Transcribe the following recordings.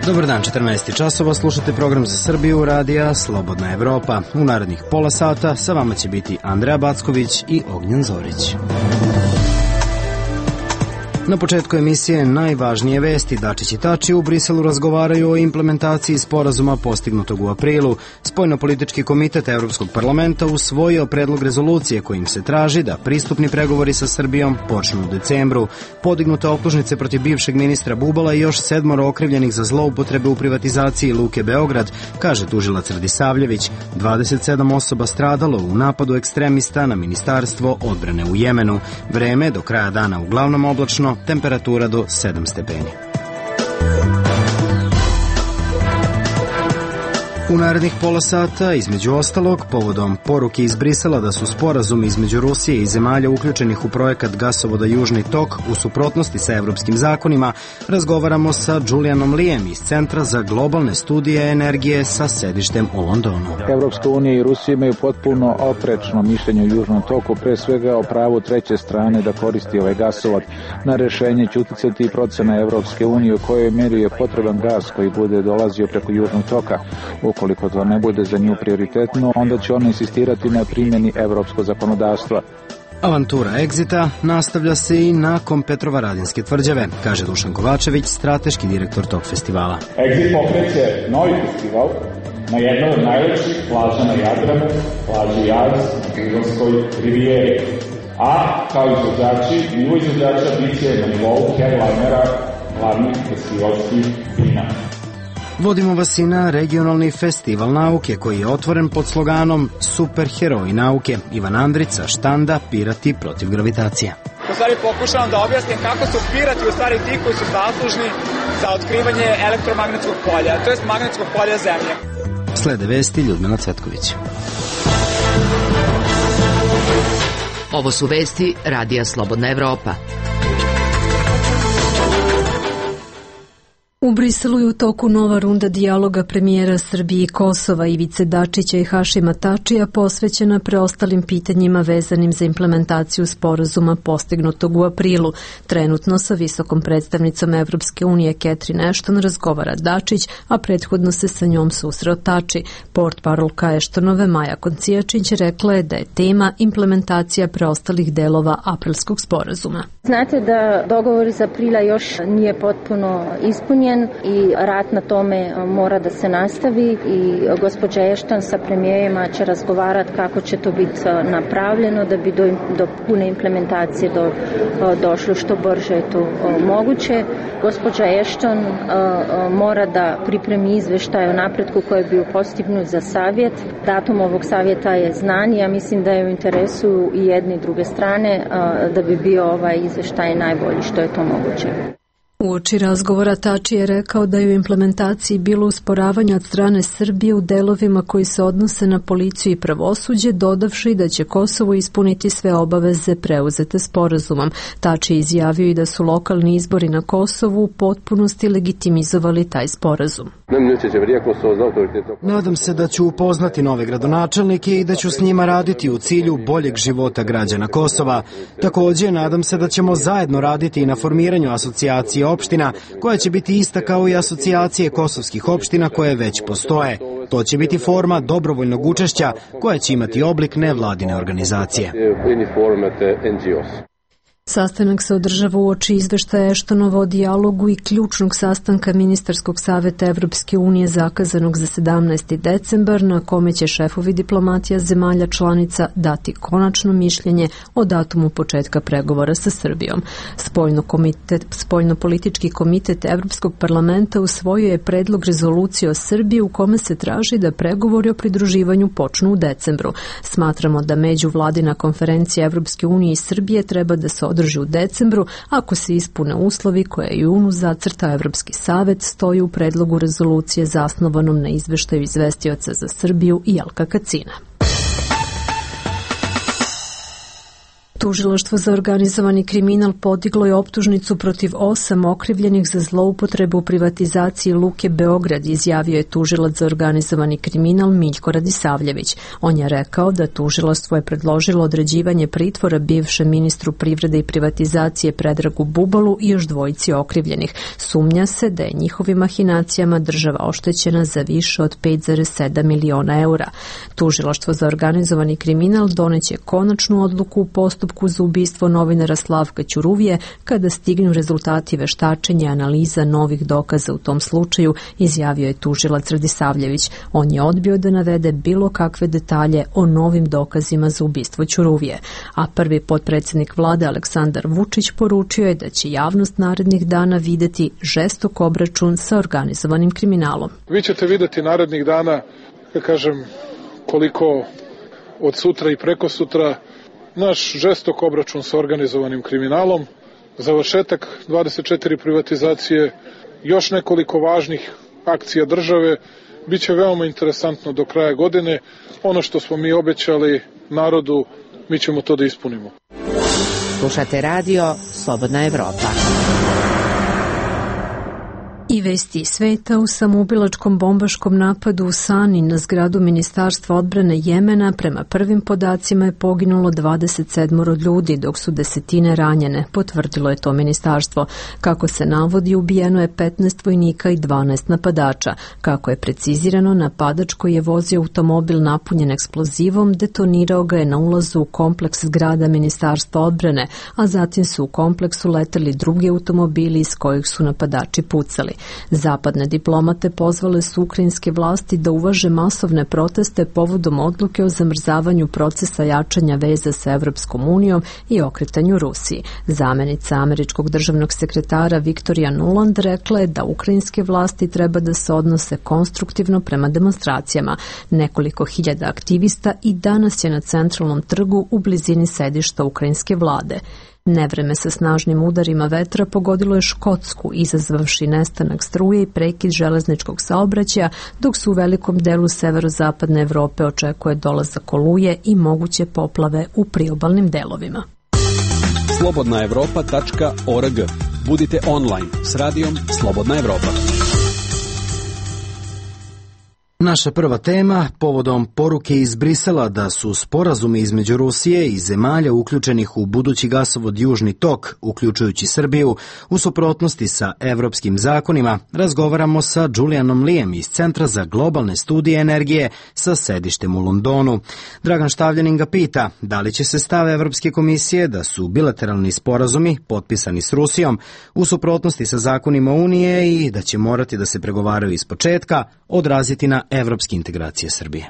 Dobar dan, 14 časova, slušate program za Srbiju, radija Slobodna Evropa. U narednih pola sata sa vama će biti Andreja Backović i Ognjen Zorić. Na početku emisije najvažnije vesti. Dačić i Tači u Briselu razgovaraju o implementaciji sporazuma postignutog u aprilu. Spoljnopolitički komitet Evropskog parlamenta usvojio predlog rezolucije kojim se traži da pristupni pregovori sa Srbijom počnu u decembru. Podignute optužnice protiv bivšeg ministra Bubala i još 7 okrivljenih za zloupotrebe u privatizaciji Luke Beograd, kaže tužilac Radisavljević. 27 osoba stradalo u napadu ekstremista na Ministarstvo odbrane u Jemenu. Vreme do kraja dana uglavnom oblačno, temperatura do 7 stepeni. U narednih pola sata, između ostalog, povodom poruke iz Brisela da su sporazumi između Rusije i zemalja uključenih u projekat gasovoda Južni tok u suprotnosti sa evropskim zakonima, razgovaramo sa Julianom Lijem iz Centra za globalne studije energije sa sedištem u Londonu. Evropska unija i Rusija imaju potpuno oprečno mišljenje o Južnom toku, pre svega o pravu treće strane da koristi ovaj gasovod. Na rešenje će uticati i procena Evropske unije u kojoj meri je potreban gas koji bude dolazio preko Južnog toka. Ukoliko to ne bude za nju prioritetno, onda će ona insistirati na primjeni evropskog zakonodavstva. Avantura Exita nastavlja se i nakon Petrovaradinske tvrđave, kaže Dušan Kovačević, strateški direktor tog festivala. Exit pokreće novi festival na jednoj od najlepših plaža na Jadranu, plaži Jaz na Pironskoj rivijeri. A kao izvođači, nivo izvođača biće na nivou headlinera glavnih festivalskih vina. Vodimo vas i na regionalni festival nauke koji je otvoren pod sloganom Superheroji nauke. Ivan Andrica, štanda Pirati protiv gravitacije. U stvari pokušavam da objasnim kako su pirati u stvari ti koji su zaslužni za otkrivanje elektromagnetskog polja, to jest magnetskog polja Zemlje. Slede vesti Ljudmila Cvetković. Ovo su vesti radija Slobodna Evropa. U Briselu je u toku nova runda dijaloga premijera Srbije i Kosova Ivice Dačića i Hašima Tačija posvećena preostalim pitanjima vezanim za implementaciju sporazuma postignutog u aprilu. Trenutno sa visokom predstavnicom Evropske unije Catherine Ashton razgovara Dačić, a prethodno se sa njom susreo Tači. Portparolka Ashtonove Maja Koncijačić rekla je da je tema implementacija preostalih delova aprilskog sporazuma. Znate da dogovor iz aprila još nije potpuno ispunjen i rad na tome mora da se nastavi i gospođa Ashton sa premijerima će razgovarati kako će to biti napravljeno da bi do pune implementacije došlo što brže je to moguće. Gospođa Ashton mora da pripremi izveštaj o napretku koji je bio postignut za savjet. Datum ovog savjeta je znan i ja mislim da je u interesu i jedne i druge strane da bi bio ovaj izveštaj najbolji što je to moguće. Uoči razgovora Tači je rekao da je u implementaciji bilo usporavanje od strane Srbije u delovima koji se odnose na policiju i pravosuđe, dodavši da će Kosovo ispuniti sve obaveze preuzete sporazumom. Tači je izjavio i da su lokalni izbori na Kosovu u potpunosti legitimizovali taj sporazum. Nadam se da ću upoznati nove gradonačelnike i da ću s njima raditi u cilju boljeg života građana Kosova. Također, nadam se da ćemo zajedno raditi i na formiranju asocijacije opština, koja će biti ista kao i asocijacije kosovskih opština koje već postoje. To će biti forma dobrovoljnog učešća koja će imati oblik nevladine organizacije. Sastanak se održava uoči izveštaja Ashtonova o dijalogu i ključnog sastanka Ministarskog saveta Evropske unije zakazanog za 17. decembar, na kome će šefovi diplomatija zemalja članica dati konačno mišljenje o datumu početka pregovora sa Srbijom. Spoljnopolitički komitet Evropskog parlamenta usvojio je predlog rezolucije o Srbiji u kome se traži da pregovori o pridruživanju počnu u decembru. Smatramo da međuvladina konferencija Evropske unije i Srbije treba da se održi u decembru ako se ispune uslovi koje je junu zacrtao Evropski savet, stoji u predlogu rezolucije zasnovanom na izveštaju izvestioca za Srbiju i Jelka Kacina. Tužilaštvo za organizovani kriminal podiglo je optužnicu protiv 8 okrivljenih za zloupotrebu u privatizaciji Luke Beograd, izjavio je tužilac za organizovani kriminal Miljko Radisavljević. On je rekao da tužilaštvo je predložilo određivanje pritvora bivšem ministru privrede i privatizacije Predragu Bubalu i još dvojici okrivljenih. Sumnja se da je njihovim mahinacijama država oštećena za više od 5,7 miliona eura. Tužilaštvo za organizovani kriminal doneće konačnu odluku u postupku za ubistvo novinara Slavka Ćuruvije kada stignu rezultati veštačenja i analiza novih dokaza u tom slučaju, izjavio je tužilac Radisavljević. On je odbio da navede bilo kakve detalje o novim dokazima za ubistvo Ćuruvije. A prvi potpredsjednik vlade Aleksandar Vučić poručio je da će javnost narednih dana videti žestok obračun sa organizovanim kriminalom. Vi ćete videti narednih dana, koliko od sutra i preko sutra naš žestok obračun sa organizovanim kriminalom, završetak 24 privatizacije, još nekoliko važnih akcija države, bit će veoma interesantno do kraja godine. Ono što smo mi obećali narodu, mi ćemo to da ispunimo. Slušate radio Slobodna Evropa. I vesti sveta: u samoubilačkom bombaškom napadu u Sani na zgradu Ministarstva odbrane Jemena prema prvim podacima je poginulo 27 ljudi, dok su desetine ranjene, potvrdilo je to ministarstvo. Kako se navodi, ubijeno je 15 vojnika i 12 napadača. Kako je precizirano, napadač koji je vozio automobil napunjen eksplozivom detonirao ga je na ulazu u kompleks zgrada Ministarstva odbrane, a zatim su u kompleksu leteli drugi automobili iz kojih su napadači pucali. Zapadne diplomate pozvale su ukrajinske vlasti da uvaže masovne proteste povodom odluke o zamrzavanju procesa jačanja veza sa Evropskom unijom i okretanju Rusiji. Zamenica američkog državnog sekretara Viktorija Nuland rekla je da ukrajinske vlasti treba da se odnose konstruktivno prema demonstracijama. Nekoliko hiljada aktivista i danas je na centralnom trgu u blizini sedišta ukrajinske vlade. Nevreme sa snažnim udarima vetra pogodilo je Škotsku, izazvavši nestanak struje i prekid železničkog saobraćaja, dok su u velikom delu severozapadne Evrope očekuje dolazak oluje i moguće poplave u priobalnim delovima. slobodnaevropa.org. Budite online s radijom Slobodna Evropa. Naša prva tema, povodom poruke iz Brisela da su sporazumi između Rusije i zemalja uključenih u budući gasovod Južni tok, uključujući Srbiju, u suprotnosti sa evropskim zakonima, razgovaramo sa Julianom Lijem iz Centra za globalne studije energije sa sedištem u Londonu. Dragan Štavljanin ga pita da li će se stav Evropske komisije da su bilateralni sporazumi potpisani s Rusijom u suprotnosti sa zakonima Unije i da će morati da se pregovaraju iz početka odraziti na evropske integracije Srbije.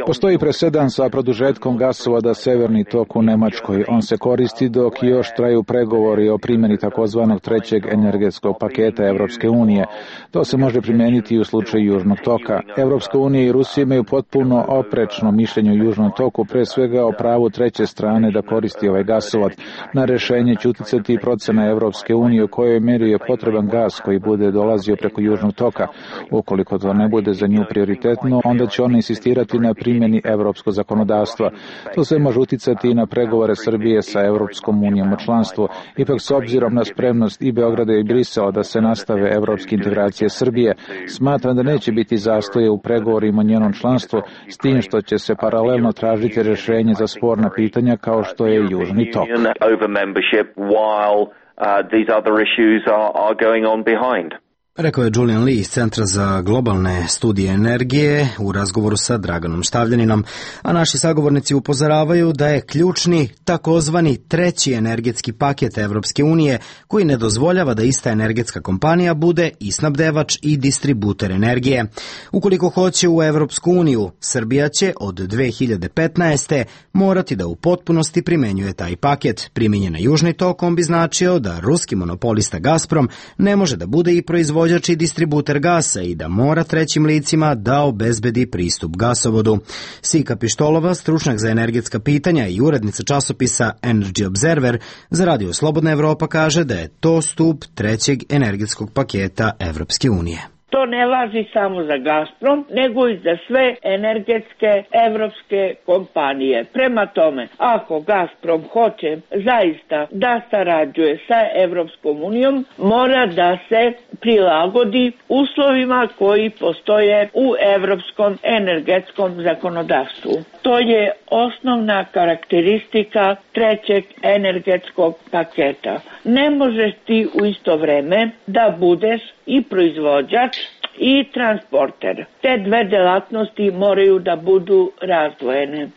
Postoji presedan sa produžetkom gasovoda Severni tok u Nemačkoj. On se koristi dok još traju pregovori o primjeni takozvanog trećeg energetskog paketa Evropske unije. To se može primijeniti i u slučaju Južnog toka. Evropska unija i Rusija imaju potpuno oprečno mišljenje o Južnom toku, pre svega o pravu treće strane da koristi ovaj gasovod. Na rešenje će uticati i procena Evropske unije u kojoj meri je potreban gas koji bude dolazio preko Južnog toka. Ukoliko to ne bude za nju prioritetno, onda će ona insistirati na primjeni evropskog zakonodavstva. To sve može uticati i na pregovore Srbije sa Evropskom unijom o članstvu. Ipak, s obzirom na spremnost i Beograda i Brisela da se nastave evropske integracije Srbije, smatram da neće biti zastoje u pregovorima o njenom članstvu, s tim što će se paralelno tražiti rešenje za sporna pitanja kao što je Južni tok. Rekao je Julian Lee iz Centra za globalne studije energije u razgovoru sa Draganom Štavljaninom, a naši sagovornici upozoravaju da je ključni takozvani treći energetski paket Evropske unije koji ne dozvoljava da ista energetska kompanija bude i snabdevač i distributer energije. Ukoliko hoće u Evropsku uniju, Srbija će od 2015. morati da u potpunosti primenjuje taj paket. Primjenjen na Južni tok on bi značio da ruski monopolista Gazprom ne može da bude i proizvođač i distributer gasa i da mora trećim licima da obezbedi pristup gasovodu. Sika Pištolova, stručnjak za energetska pitanja i urednica časopisa Energy Observer za radio Slobodna Evropa, kaže da je to stup trećeg energetskog paketa Evropske unije. To ne važi samo za Gazprom, nego i za sve energetske evropske kompanije. Prema tome, ako Gazprom hoće zaista da sarađuje sa Evropskom unijom, mora da se prilagodi uslovima koji postoje u evropskom energetskom zakonodavstvu. To je osnovna karakteristika trećeg energetskog paketa. Ne možeš ti u isto vreme da budeš i proizvođač i transporter. Te dve delatnosti moraju da budu razdvojene.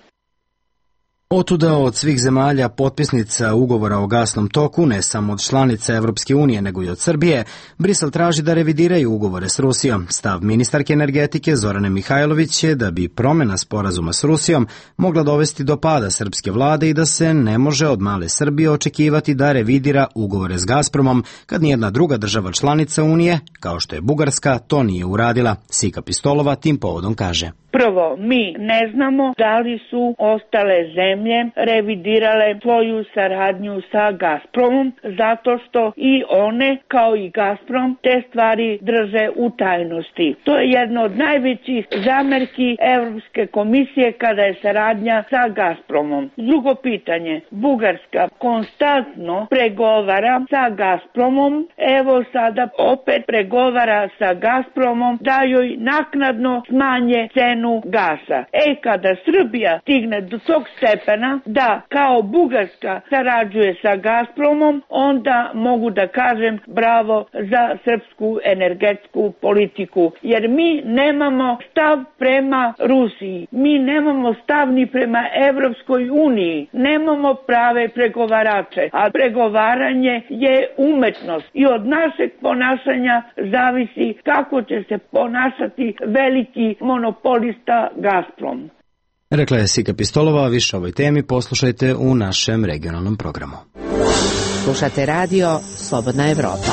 Otuda od svih zemalja potpisnica ugovora o gasnom toku, ne samo od članica Evropske unije, nego i od Srbije, Brisel traži da revidiraju ugovore s Rusijom. Stav ministarke energetike Zorane Mihajlović je da bi promjena sporazuma s Rusijom mogla dovesti do pada srpske vlade i da se ne može od male Srbije očekivati da revidira ugovore s Gazpromom kad nijedna druga država članica Unije, kao što je Bugarska, to nije uradila. Sika Pistolova tim povodom kaže. Prvo, mi ne znamo da li su ostale zemlje revidirale svoju saradnju sa Gazpromom, zato što i one, kao i Gazprom, te stvari drže u tajnosti. To je jedno od najvećih zamerki Evropske komisije kada je saradnja sa Gazpromom. Drugo pitanje, Bugarska konstantno pregovara sa Gazpromom, evo sada opet pregovara sa Gazpromom da joj naknadno smanje cenu gasa. Kada Srbija stigne do tog stepena da kao Bugarska sarađuje sa Gazpromom, onda mogu da kažem bravo za srpsku energetsku politiku. Jer mi nemamo stav prema Rusiji, mi nemamo stav ni prema Evropskoj uniji, nemamo prave pregovarače, a pregovaranje je umetnost i od našeg ponašanja zavisi kako će se ponašati veliki monopolista Gazprom. Rekla je Sika Pistolova, više o ovoj temi poslušajte u našem regionalnom programu. Slušate radio Slobodna Evropa.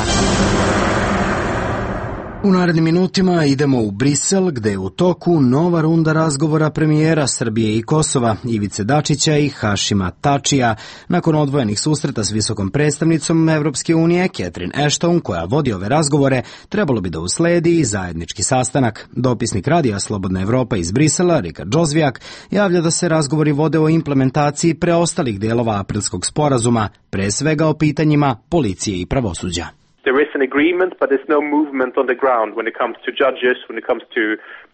U narednim minutima idemo u Brisel, gde je u toku nova runda razgovora premijera Srbije i Kosova, Ivice Dačića i Hašima Tačija, nakon odvojenih susreta s visokom predstavnicom Evropske unije, Catherine Ashton, koja vodi ove razgovore, trebalo bi da usledi i zajednički sastanak. Dopisnik radija Slobodna Evropa iz Brisela, Rikard Džozvijak, javlja da se razgovori vode o implementaciji preostalih delova aprilskog sporazuma, pre svega o pitanjima policije i pravosuđa. There is an agreement, but there's no movement on the ground when it comes to judges, when it comes to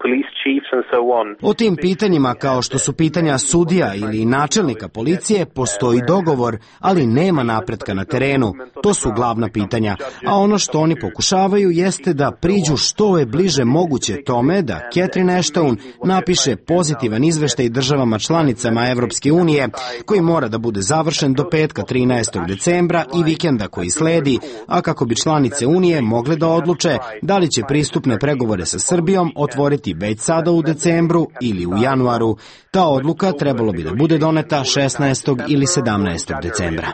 police chiefs and so on. O tim pitanjima, kao što su pitanja sudija ili načelnika policije, postoji dogovor, ali nema napretka na terenu. To su glavna pitanja. A ono što oni pokušavaju jeste da priđu što je bliže moguće tome da Catherine Ashton napiše pozitivan izveštaj državama članicama Evropske unije, koji mora da bude završen do petka 13. decembra i vikenda koji sledi, a kako bi članice Unije mogle da odluče da li će pristupne pregovore sa Srbijom otvoriti već sada u decembru ili u januaru. Ta odluka trebalo bi da bude doneta 16. ili 17. decembra.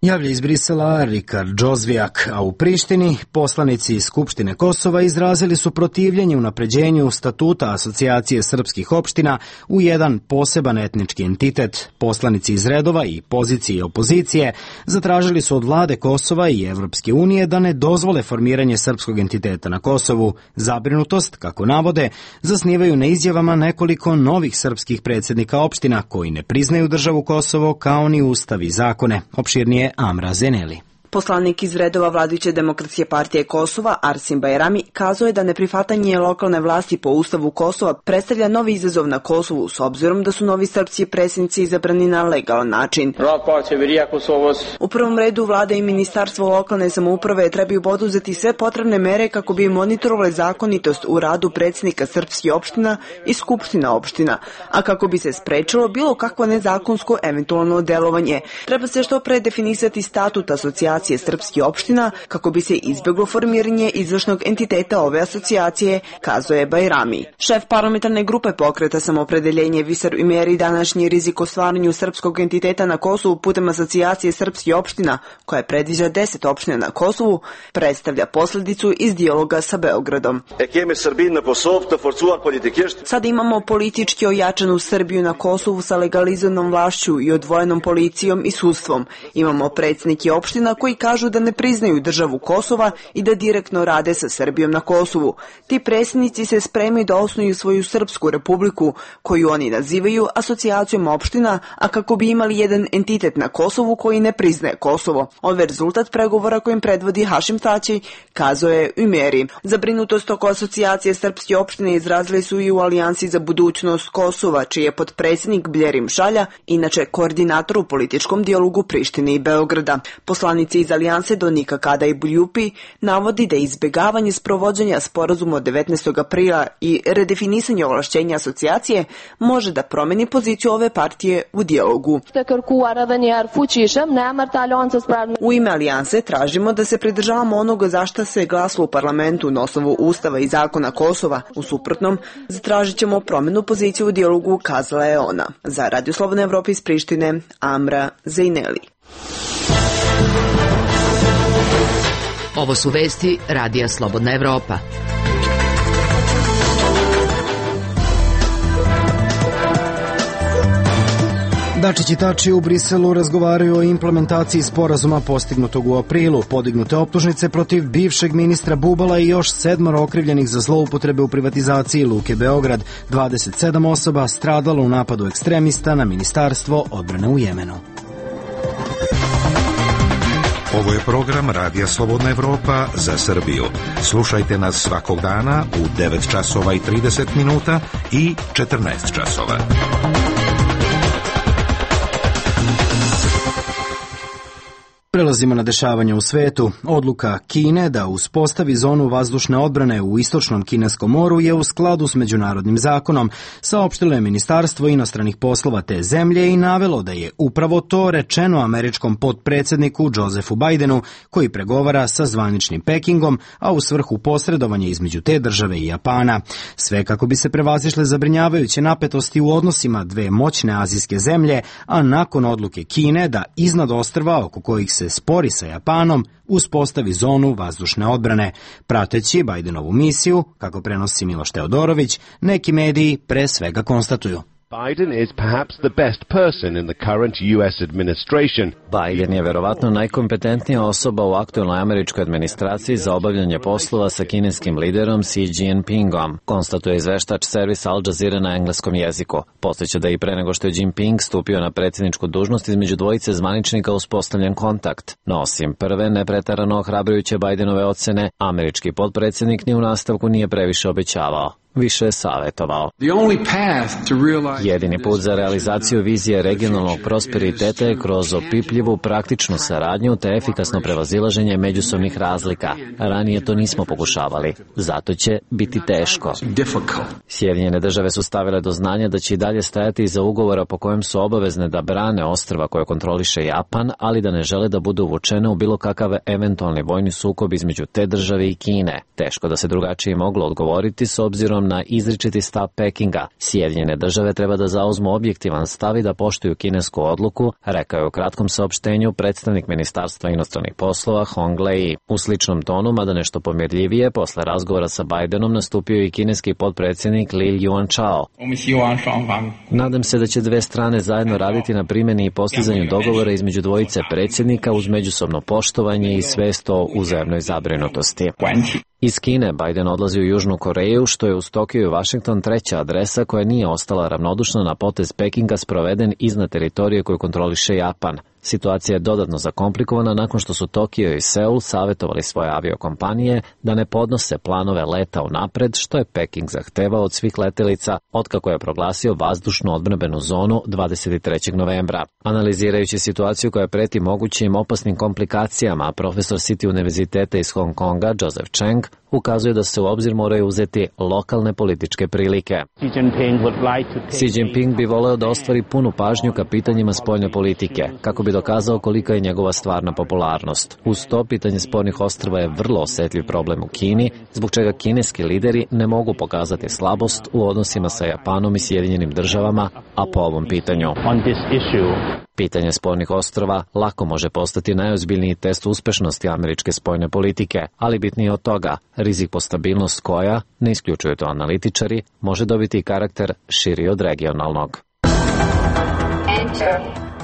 Javlja iz Brisela Rikard Džozvijak, a u Prištini poslanici iz Skupštine Kosova izrazili su protivljenje unapređenju statuta Asocijacije srpskih opština u jedan poseban etnički entitet. Poslanici iz redova i pozicije i opozicije zatražili su od vlade Kosova i Evropske unije da ne dozvole formiranje srpskog entiteta na Kosovu. Zabrinutost, kako navode, zasnivaju na izjavama nekoliko novih srpskih predsjednika opština koji ne priznaju državu Kosovo kao ni ustav i zakone. Opširnije Amra Zeneli. Poslanik iz redova vladajuće Demokratske partije Kosova, Arsim Bajrami, kazao je da neprihvatanje lokalne vlasti po ustavu Kosova predstavlja novi izazov na Kosovu, s obzirom da su novi srpski predsjednici izabrani na legalan način. U prvom redu vlada i ministarstvo lokalne samouprave trebaju poduzeti sve potrebne mere kako bi monitorovali zakonitost u radu predsjednika srpskih opština i skupština opština, a kako bi se sprečilo bilo kakvo nezakonsko eventualno delovanje. Treba se što pre definisati statut asocijacije asocijacije srpskih opština kako bi se izbjeglo formiranje izvršnog entiteta ove asocijacije, kazuje Bajrami. Šef parlamentarne grupe Pokreta Samopredeljenje Visar Ümeri današnji rizik o stvaranju srpskog entiteta na Kosovu putem asocijacije srpskih opština, koja predviđa 10 opština na Kosovu, predstavlja posljedicu iz dijaloga sa Beogradom. Sad imamo politički ojačanu Srbiju na Kosovu sa legalizovanom vlašću i odvojenom policijom i sudstvom. Imamo predsjednike opština koji kažu da ne priznaju državu Kosova i da direktno rade sa Srbijom na Kosovu. Ti predsjednici se spremaju da osnuju svoju srpsku republiku, koju oni nazivaju asocijacijom opština, a kako bi imali jedan entitet na Kosovu koji ne priznaje Kosovo. Ovo je rezultat pregovora kojim predvodi Hašim Tači, kazuje Ümeri. Zabrinutost oko asocijacije srpske opštine izrazili su i u Alijansi za budućnost Kosova, čiji je potpredsjednik Bljerim Šalja, inače koordinator u političkom dijalogu Prištine i Beograda. Poslanici iz Alijanse Donika Kada i Buljupi navodi da izbjegavanje sprovođenja sporazuma od 19. aprila i redefinisanje ovlašćenja asocijacije može da promeni poziciju ove partije u dijalogu. U ime Alijanse tražimo da se pridržavamo onoga za šta se glasilo u parlamentu na osnovu Ustava i zakona Kosova. U suprotnom, zatražit ćemo promjenu pozicije u dijalogu, kazala je ona. Za Radio Slobodna Evropa iz Prištine, Amra Zejneli. Ovo su vesti Radija Slobodna Evropa. Dačić i Tači u Briselu razgovaraju o implementaciji sporazuma postignutog u aprilu. Podignute optužnice protiv bivšeg ministra Bubala i još 7 okrivljenih za zloupotrebe u privatizaciji Luke Beograd. 27 osoba stradalo u napadu ekstremista na Ministarstvo odbrane u Jemenu. Ovo je program Radija Slobodna Evropa za Srbiju. Slušajte nas svakog dana u 9 časova i 30 minuta i 14 časova. Prelazimo na dešavanja u svetu. Odluka Kine da uspostavi zonu vazdušne odbrane u istočnom kineskom moru je u skladu s međunarodnim zakonom, saopštilo je Ministarstvo inostranih poslova te zemlje i navelo da je upravo to rečeno američkom potpredsjedniku Josephu Bidenu, koji pregovara sa zvaničnim Pekingom, a u svrhu posredovanja između te države i Japana. Sve kako bi se prevazišle zabrinjavajuće napetosti u odnosima dve moćne azijske zemlje, a nakon odluke Kine da iznad ostrva oko kojih se spori sa Japanom uspostavi zonu vazdušne odbrane. Prateći Bidenovu misiju, kako prenosi Miloš Teodorović, neki mediji pre svega konstatuju: Biden is perhaps the best person in the current US administration. Biden je verovatno najkompetentnija osoba u aktuelnoj američkoj administraciji za obavljanje poslova sa kineskim liderom Xi Jinpingom, konstatuje izveštač servis Al Jazeera na engleskom jeziku. Podsjeća da i pre nego što je Jinping stupio na predsjedničku dužnost, između dvojice zvaničnika uspostavljen kontakt. No osim prve nepreterano ohrabrujuće Bidenove ocene, američki potpredsjednik ni u nastavku nije previše obećavao. Više je savjetovao. Jedini put za realizaciju vizije regionalnog prosperiteta je kroz opipljivu praktičnu saradnju te efikasno prevazilaženje međusobnih razlika. Ranije to nismo pokušavali, zato će biti teško. Sjedinjene države su stavile do znanja da će i dalje stajati iza ugovora po kojem su obavezne da brane ostrva koje kontroliše Japan, ali da ne žele da budu uvučene u bilo kakav eventualni vojni sukob između te države i Kine. Teško da se drugačije moglo odgovoriti s obzirom na izričiti stav Pekinga. Sjedinjene države treba da zauzmu objektivan stav i da poštuju kinesku odluku, rekao je u kratkom saopštenju predstavnik Ministarstva inostranih poslova Hong Lei. U sličnom tonu, mada nešto pomirljivije, posle razgovora sa Bidenom nastupio i kineski potpredsjednik Li Yuanchao. Nadam se da će dve strane zajedno raditi na primjeni i postizanju dogovora između dvojice predsjednika uz međusobno poštovanje i svest o uzajamnoj zabrinutosti. Iz Kine Biden odlazi u Južnu Koreju, što je uz Tokio i Washington treća adresa koja nije ostala ravnodušna na potez Pekinga sproveden iznad teritorije koju kontroliše Japan. Situacija je dodatno zakomplikovana nakon što su Tokio i Seul savjetovali svoje aviokompanije da ne podnose planove leta unapred, što je Peking zahtevao od svih letelica otkako je proglasio vazdušnu odbrambenu zonu 23. novembra. Analizirajući situaciju koja preti mogućim opasnim komplikacijama, profesor City univerziteta iz Hong Konga Joseph Cheng ukazuje da se u obzir moraju uzeti lokalne političke prilike. Xi Jinping bi voleo da ostvari punu pažnju ka pitanjima spoljne politike, kako bi dokazao kolika je njegova stvarna popularnost. Uz to, pitanje spornih ostrva je vrlo osetljiv problem u Kini, zbog čega kineski lideri ne mogu pokazati slabost u odnosima sa Japanom i Sjedinjenim državama, a po ovom pitanju. Pitanje spornih ostrva lako može postati najozbiljniji test uspešnosti američke spoljne politike, ali bitnije od toga, rizik po stabilnost koja, ne isključuju to analitičari, može dobiti i karakter širi od regionalnog.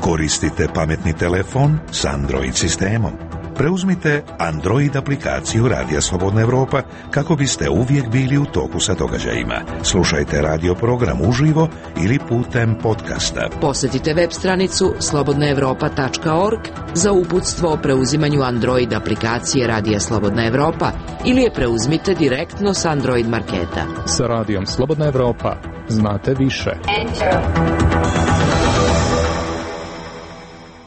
Koristite pametni telefon s Android sistemom. Preuzmite Android aplikaciju Radija Slobodna Evropa kako biste uvijek bili u toku sa događajima. Slušajte radio program uživo ili putem podcasta. Posjetite web stranicu slobodnaevropa.org za uputstvo o preuzimanju Android aplikacije Radija Slobodna Evropa ili je preuzmite direktno s Android marketa. Sa Radijom Slobodna Evropa znate više.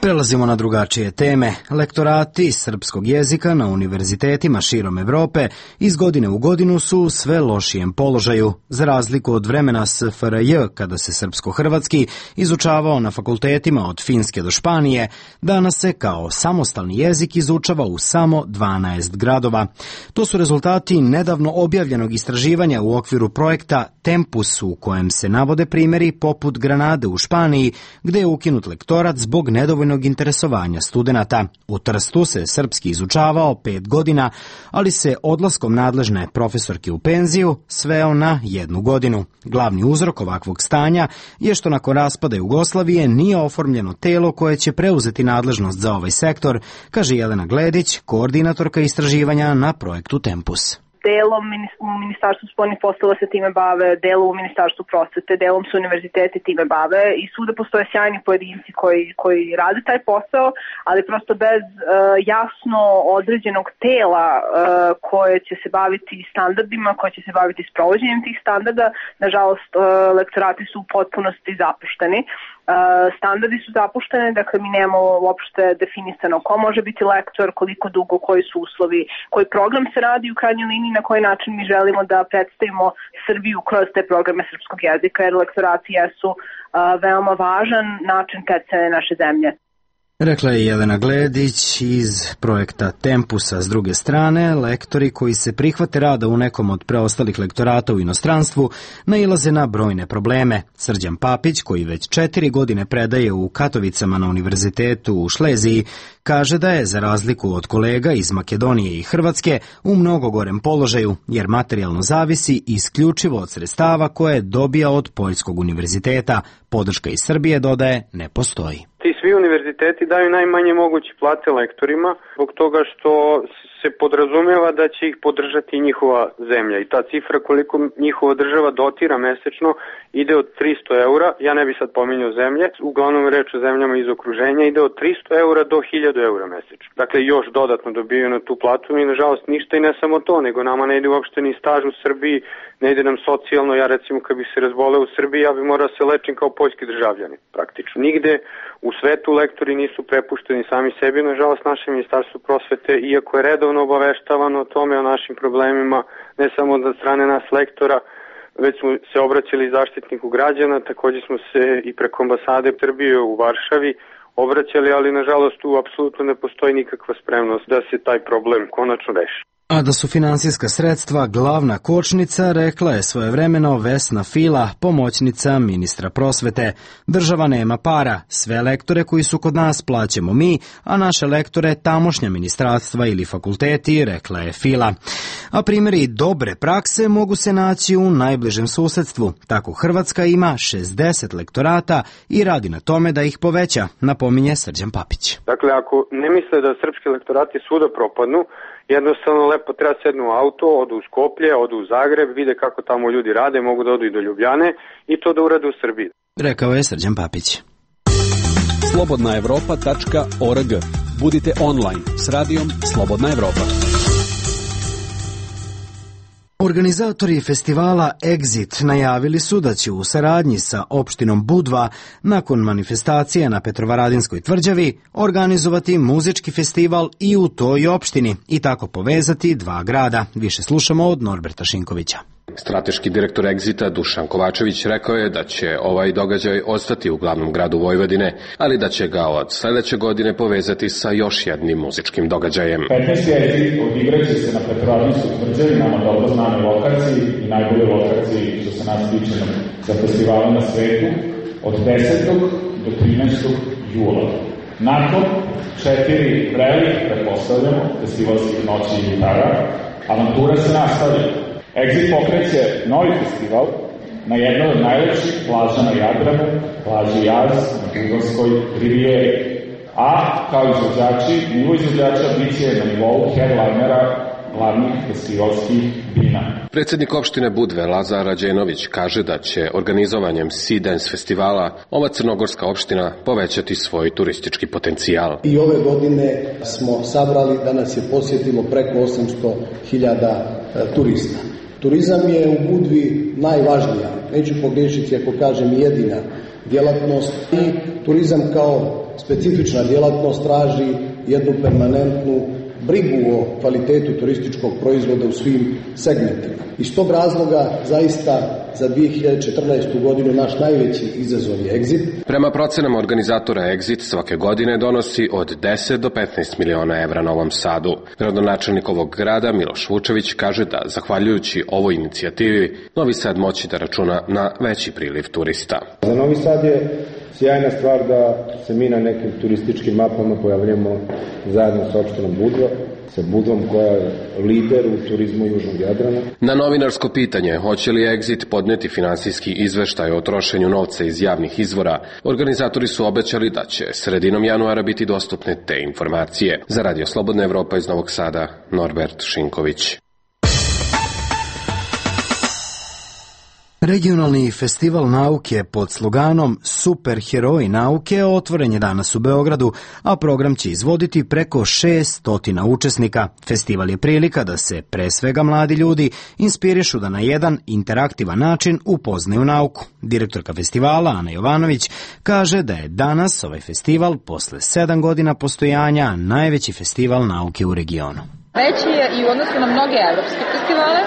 Prelazimo na drugačije teme. Lektorati srpskog jezika na univerzitetima širom Evrope iz godine u godinu su u sve lošijem položaju. Za razliku od vremena SFRJ, kada se srpsko-hrvatski izučavao na fakultetima od Finske do Španije, danas se kao samostalni jezik izučava u samo 12 gradova. To su rezultati nedavno objavljenog istraživanja u okviru projekta Tempus, u kojem se navode primjeri poput Granade u Španiji, gde je ukinut lektorat zbog nedovoljnog interesovanja studenata. U Trstu se srpski izučavao 5 godina, ali se odlaskom nadležne profesorke u penziju sveo na 1 godinu. Glavni uzrok ovakvog stanja je što nakon raspada Jugoslavije nije oformljeno telo koje će preuzeti nadležnost za ovaj sektor, kaže Jelena Gledić, koordinatorka istraživanja na projektu Tempus. Delom u Ministarstvu spoljnih poslova se time bave, delom u Ministarstvu prosvete, delom se univerziteti time bave i svuda postoje sjajni pojedinci koji rade taj posao, ali prosto bez jasno određenog tela koje će se baviti standardima, koje će se baviti sprovođenjem tih standarda, nažalost lektorati su u potpunosti zapušteni. Standardi su zapuštene, dakle mi nemamo uopšte definisano ko može biti lektor, koliko dugo, koji su uslovi, koji program se radi u krajnjoj liniji, na koji način mi želimo da predstavimo Srbiju kroz te programe srpskog jezika, jer lektorati jesu veoma važan način predstavljanja naše zemlje. Rekla je Jelena Gledić iz projekta Tempusa. S druge strane, lektori koji se prihvate rada u nekom od preostalih lektorata u inostranstvu nailaze na brojne probleme. Srđan Papić, koji već 4 godine predaje u Katovicama na univerzitetu u Šleziji, kaže da je, za razliku od kolega iz Makedonije i Hrvatske, u mnogo gorem položaju, jer materijalno zavisi isključivo od sredstava koje dobija od Poljskog univerziteta. Podrška iz Srbije, dodaje, ne postoji. Ti svi univerziteti daju najmanje moguće plate lektorima zbog toga što se podrazumeva da će ih podržati njihova zemlja i ta cifra koliko njihova država dotira mesečno ide od 300 eura, ja ne bi sad pominjao zemlje, uglavnom reč o zemljama iz okruženja, ide od 300 eura do 1000 eura mesečno. Dakle, još dodatno dobijaju na tu platu i nažalost ništa i ne samo to, nego nama ne ide uopšte ni staž u Srbiji, ne ide nam socijalno, ja recimo kad bi se razboleo u Srbiji, ja bi morao se lečim kao poljski državljanin, praktično. Nigde u svetu lektori nisu prepušteni sami sebi, nažalost naše ministarstvo prosvete, iako je redovno obaveštavano o tome, o našim problemima, ne samo od strane nas lektora, već smo se obraćali Zaštitniku građana, također smo se i preko ambasade Srbije u Varšavi obraćali, ali nažalost tu apsolutno ne postoji nikakva spremnost da se taj problem konačno reši. A da su finansijska sredstva glavna kočnica, rekla je svojevremeno Vesna Fila, pomoćnica ministra prosvete. Država nema para, sve lektore koji su kod nas plaćamo mi, a naše lektore tamošnja ministarstva ili fakulteti, rekla je Fila. A primjeri dobre prakse mogu se naći u najbližem susedstvu. Tako Hrvatska ima 60 lektorata i radi na tome da ih poveća, napominje Srđan Papić. Dakle, ako ne misle da srpski lektorati svuda propadnu, jednostavno lepo treba sednu u auto, odu u Skoplje, odu u Zagreb, vide kako tamo ljudi rade, mogu da odu i do Ljubljane i to da urade u Srbiji. Rekao je Srđan Papić. slobodnaevropa.org. Budite online s radijom Slobodna Evropa. Organizatori festivala Exit najavili su da će u saradnji sa opštinom Budva nakon manifestacije na Petrovaradinskoj tvrđavi organizovati muzički festival i u toj opštini i tako povezati dva grada. Više slušamo od Norberta Šinkovića. Strateški direktor Exita Dušan Kovačević rekao je da će ovaj događaj ostati u glavnom gradu Vojvodine, ali da će ga od sledeće godine povezati sa još jednim muzičkim događajem. 15. Exit odigraće se na Petrovaradinskoj tvrđavi, nama dobro znane lokaciji i najbolje lokaciji što se nas tiče za festivale na svetu, od 10. do 13. jula. Nakon 4 vrelih, pretpostavljamo, festivalskih noći i gitara, avantura se nastavlja. Exit pokreće novi festival na jednoj od najlepših plaža na Jadranu, plaži Jaz na Bugarskoj rivijeri. A kao izvođači, nivo izvođača biće na nivou headlinera glavnih festivalskih dina. Predsednik opštine Budve Lazar Rađenović kaže da će organizovanjem Sea Dance festivala ova crnogorska opština povećati svoj turistički potencijal. I ove godine smo sabrali da nas je posjetilo preko 800.000 turista. Turizam je u Budvi najvažnija, neću pogriješiti ako kažem jedina djelatnost i turizam kao specifična djelatnost traži jednu permanentnu brigu o kvalitetu turističkog proizvoda u svim segmentima. Iz tog razloga zaista za 2014. godinu naš najveći izazov je Exit. Prema procenama organizatora Exit svake godine donosi od 10 do 15 miliona evra Novom Sadu. Gradonačelnik ovog grada Miloš Vučević kaže da, zahvaljujući ovoj inicijativi, Novi Sad moći da računa na veći priliv turista. Za Novi Sad je sjajna stvar da se mi na nekim turističkim mapama pojavljamo zajedno sa opštinom Budva, sa Budvom koja je lider u turizmu Južnog Jadrana. Na novinarsko pitanje hoće li Exit podneti finansijski izveštaj o trošenju novca iz javnih izvora, organizatori su obećali da će sredinom januara biti dostupne te informacije. Za Radio Slobodna Evropa iz Novog Sada, Norbert Šinković. Regionalni festival nauke pod sloganom Superheroji nauke otvoren je danas u Beogradu, a program će izvoditi preko 600 učesnika. Festival je prilika da se, pre svega mladi ljudi, inspirišu da na jedan interaktivan način upoznaju nauku. Direktorka festivala, Ana Jovanović, kaže da je danas ovaj festival, posle 7 godina postojanja, najveći festival nauke u regionu. Veći je i u odnosu na mnoge evropske festivale,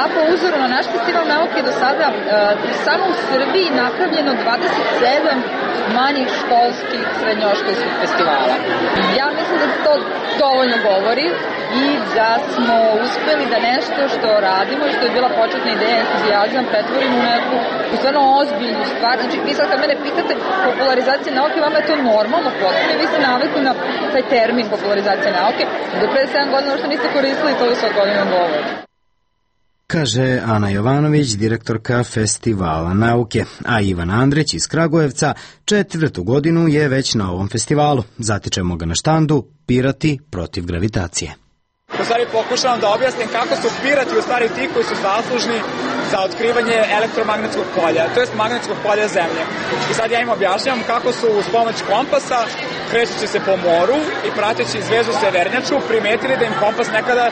a po uzoru na naš festival nauke do sada samo u Srbiji napravljeno 27 manjih školskih srednjoškolskih festivala. Ja mislim da to dovoljno govori i da smo uspeli da nešto što radimo i što je bila početna ideja, entuzijazam, pretvorimo u neku stvarno ozbiljnu stvar. Znači, vi sad kad mene pitate popularizacija nauke, vama je to normalno potpuno i vi ste navikli na taj termin popularizacija nauke. Do pre 7 godina što niste koristili, to je sad godina govori. Kaže Ana Jovanović, direktorka festivala nauke, a Ivan Andrić iz Kragujevca 4. godinu je već na ovom festivalu. Zatičemo ga na štandu Pirati protiv gravitacije. U stvari pokušavam da objasnim kako su pirati u stvari ti koji su zaslužni za otkrivanje elektromagnetskog polja, to jest magnetskog polja Zemlje. I sad ja im objašnjam kako su uz pomoć kompasa, krećući se po moru i prateći zvezdu severnjaču, primetili da im kompas nekada,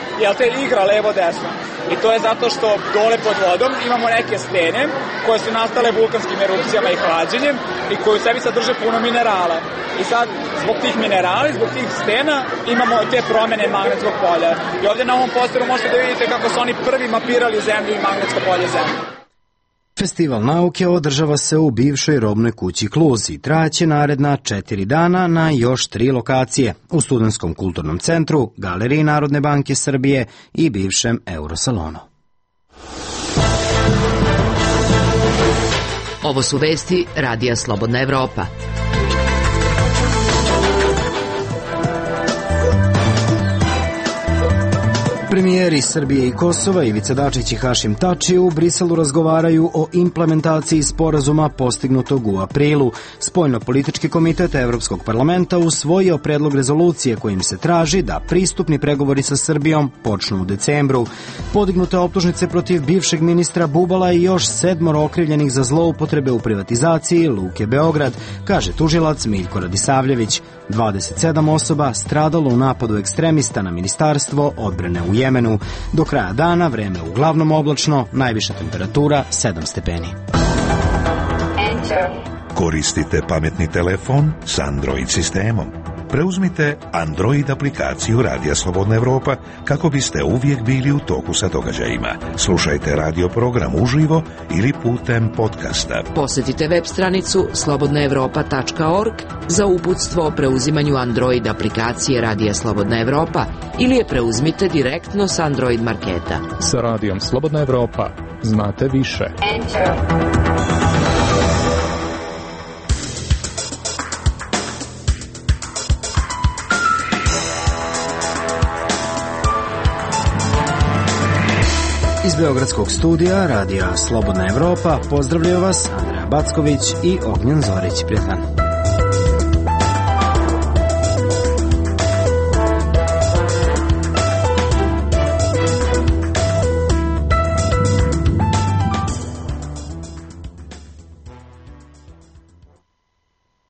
igra levo-desno. I to je zato što dole pod vodom imamo neke stene koje su nastale vulkanskim erupcijama i hlađenjem i koje u sebi sadrže puno minerala. I sad, zbog tih minerala, zbog tih stena, imamo te promene magnetskog polja. I ovdje na ovom posteru možete da vidite kako su oni prvi mapirali Zemlju i magnetsko polje Zemlje. Festival nauke održava se u bivšoj robnoj kući Kluz i trajaće naredna 4 dana na još 3 lokacije u Studentskom kulturnom centru, Galeriji Narodne banke Srbije i bivšem Eurosalonu. Ovo su vesti Radija Slobodna Evropa. Premijeri Srbije i Kosova Ivica Dačić i Hašim Tači u Briselu razgovaraju o implementaciji sporazuma postignutog u aprilu. Spoljno-politički komitet Evropskog parlamenta usvojio predlog rezolucije kojim se traži da pristupni pregovori sa Srbijom počnu u decembru. Podignute optužnice protiv bivšeg ministra Bubala i još 7 okrivljenih za zloupotrebe u privatizaciji Luke Beograd, kaže tužilac Miljko Radisavljević. 27 osoba stradalo u napadu ekstremista na Ministarstvo odbrane u Jemenu. Jemenu. Do kraja dana vreme uglavnom oblačno, najviša temperatura 7 stepeni. Koristite pametni telefon s Android sistemom. Preuzmite Android aplikaciju Radija Slobodna Evropa kako biste uvijek bili u toku sa događajima. Slušajte radio program uživo ili putem podcasta. Posjetite web stranicu slobodnaevropa.org za uputstvo o preuzimanju Android aplikacije Radija Slobodna Evropa ili je preuzmite direktno s Android marketa. Sa Radijom Slobodna Evropa znate više. Iz Beogradskog studija Radija Slobodna Evropa pozdravljaju vas Andreja Backović i Ognjen Zorić. Prijatan.